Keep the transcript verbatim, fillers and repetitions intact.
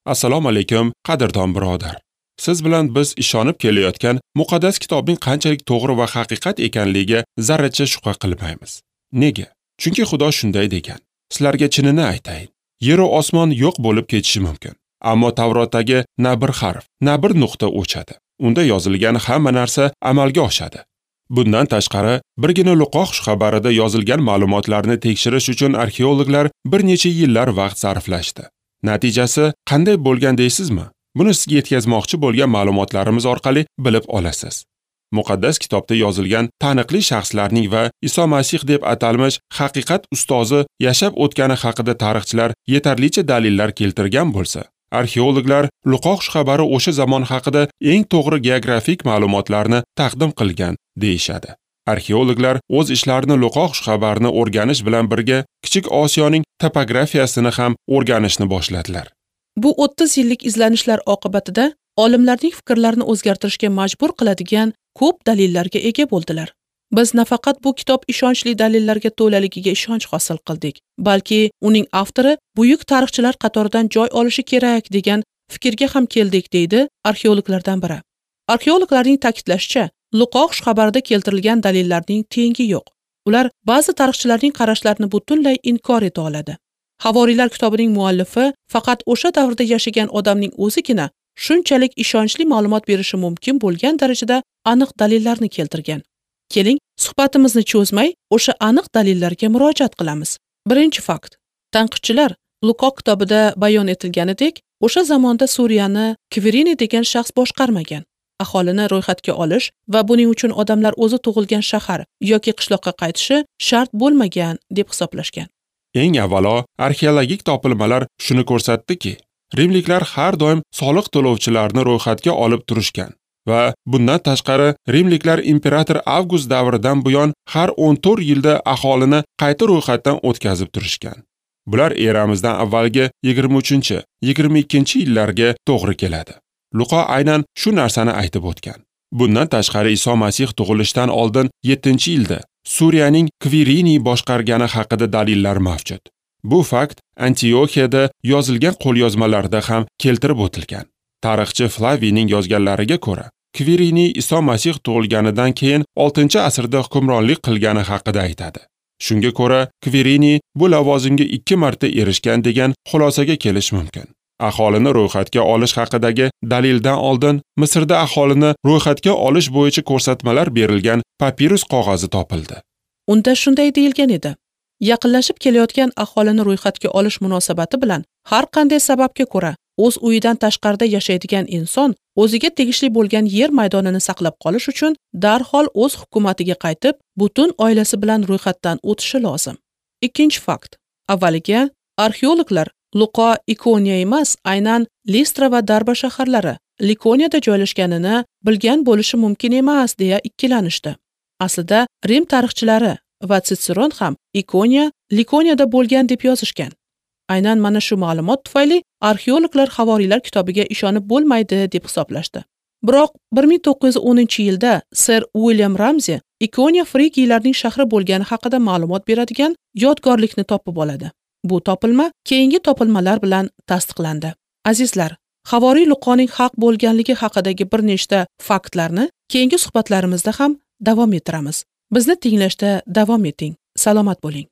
Assalomu alaykum, qadrdon birodar. Siz bilan biz ishonib kelayotgan muqaddas kitobning qanchalik to'g'ri va haqiqat ekanligiga zarracha shubha qilmaymiz. Nega? Chunki Xudo shunday degan. Sizlarga chinini aytayin. Yer va osmon yo'q bo'lib ketishi mumkin. Ammo Tavrotdagi na bir harf, na bir nuqta o'chadi. Unda yozilgan hamma narsa amalga oshadi. Bundan tashqari, birgina Luqo xushxabarida yozilgan ma'lumotlarni tekshirish uchun arxeologlar bir necha yillar vaqt sarflashdi. Natijasi qanday bo'lgan deysizmi? Buni sizga yetkazmoqchi bo'lgan ma'lumotlarimiz orqali bilib olasiz. Muqaddas kitobda yozilgan taniqli shaxslarning va Iso Masih deb atalmish haqiqat ustozi yashab o'tgani haqida tarixchilar yetarlicha dalillar keltirgan bo'lsa, arxeologlar Luqo xushxabari o'sha zamon haqida eng to'g'ri geografik ma'lumotlarni taqdim qilgan deyishadi. Arxeologlar o'z ishlarini Luqo xushxabarini o'rganish bilan birga Kichik Osiyoning topografiyasini ham o'rganishni boshladilar. Bu o'ttiz yillik izlanishlar oqibatida olimlarning fikrlarini o'zgartirishga majbur qiladigan ko'p dalillarga ega bo'ldilar. Biz nafaqat bu kitob ishonchli dalillarga to'laligiga ishonch hosil qildik, balki uning avtori buyuk tarixchilar qatoridan joy olishi kerak degan fikrga ham keldik, deydi arxeologlardan biri. Arxeologlarning ta'kidlashicha, Luqo xushxabarida keltirilgan dalillarning tengi yo'q. Ular ba'zi tarixchilarning qarashlarini butunlay inkor eta oladi. Havoriylar kitobining muallifi faqat o'sha davrda yashagan odamning o'zigina shunchalik ishonchli ma'lumot berishi mumkin bo'lgan darajada aniq dalillarni keltirgan. Keling, suhbatimizni cho'zmay, o'sha aniq dalillarga murojaat qilamiz. Birinchi fakt. Tanqidchilar Luqo kitobida bayon etilganidek, o'sha zamonda Suriyani Kvirini degan shaxs boshqarmagan. Aholini ro'yxatga olish va buning uchun odamlar o'zi tug'ilgan shahar yoki qishloqqa qaytishi shart bo'lmagan deb hisoblashgan. Eng avvalo, arxeologik topilmalar shuni ko'rsatdiki, rimliklar har doim soliq to'lovchilarni ro'yxatga olib turishgan va bundan tashqari rimliklar imperator Avgust davridan buyon har o'n to'rt yilda aholini qayta ro'yxatdan o'tkazib turishgan. Bular eramizdan avvalgi yigirma uchinchi, yigirma ikkinchi yillarga to'g'ri keladi. Luqo aynan shu narsani aytib o'tgan. Bundan tashqari Iso Masih tug'ilishidan oldin yettinchi yilda Suriyaning Kvirini boshqargani haqida dalillar mavjud. Bu fakt Antioxiyada yozilgan qo'lyozmalarda ham keltirib o'tilgan. Tarixchi Flaviyning yozganlariga ko'ra, Kvirini Iso Masih tug'ilganidan keyin oltinchi asrda hukmronlik qilgani haqida aytadi. Shunga ko'ra, Kvirini bu lavozimga ikki marta erishgan degan xulosaga kelish mumkin. Aholini ro'yxatga olish haqidagi dalildan oldin Misrda aholini ro'yxatga olish bo'yicha ko'rsatmalar berilgan papirus qog'ozi topildi. Unda shunday deyilgan edi: yaqinlashib kelayotgan aholini ro'yxatga olish munosabati bilan har qanday sababga ko'ra o'z uyidan tashqarida yashaydigan inson o'ziga tegishli bo'lgan yer maydonini saqlab qolish uchun darhol o'z hukumatiga qaytib, butun oilasi bilan ro'yxatdan o'tishi lozim. Ikkinchi fakt. Avvaliga arxeologlar Luqo Ikoniya emas, aynan Listra va Darba shaharlari Likoniyada joylashganini bilgan bo'lishi mumkin emas deya ikkilanishdi. Aslida Rim tarixchilari va Tsitseron ham Ikoniya Likoniyada bo'lgan deb yozishgan. Aynan mana shu ma'lumot tufayli arxeologlar Havoriylar kitobiga ishonib bo'lmaydi deb hisoblashdi. Biroq bir ming to'qqiz yuz o'ninchi yilda Ser Uilyam Ramzi Ikoniya frigiylarning shahri bo'lgani haqida ma'lumot beradigan yodgorlikni topib oladi. Bu topilma keyingi topilmalar bilan tasdiqlandi. Azizlar, Havoriy Luqoning haq bo'lganligi haqidagi bir nechta faktlarni keyingi suhbatlarimizda ham davom ettiramiz. Bizni tinglashda davom eting. Salomat bo'ling.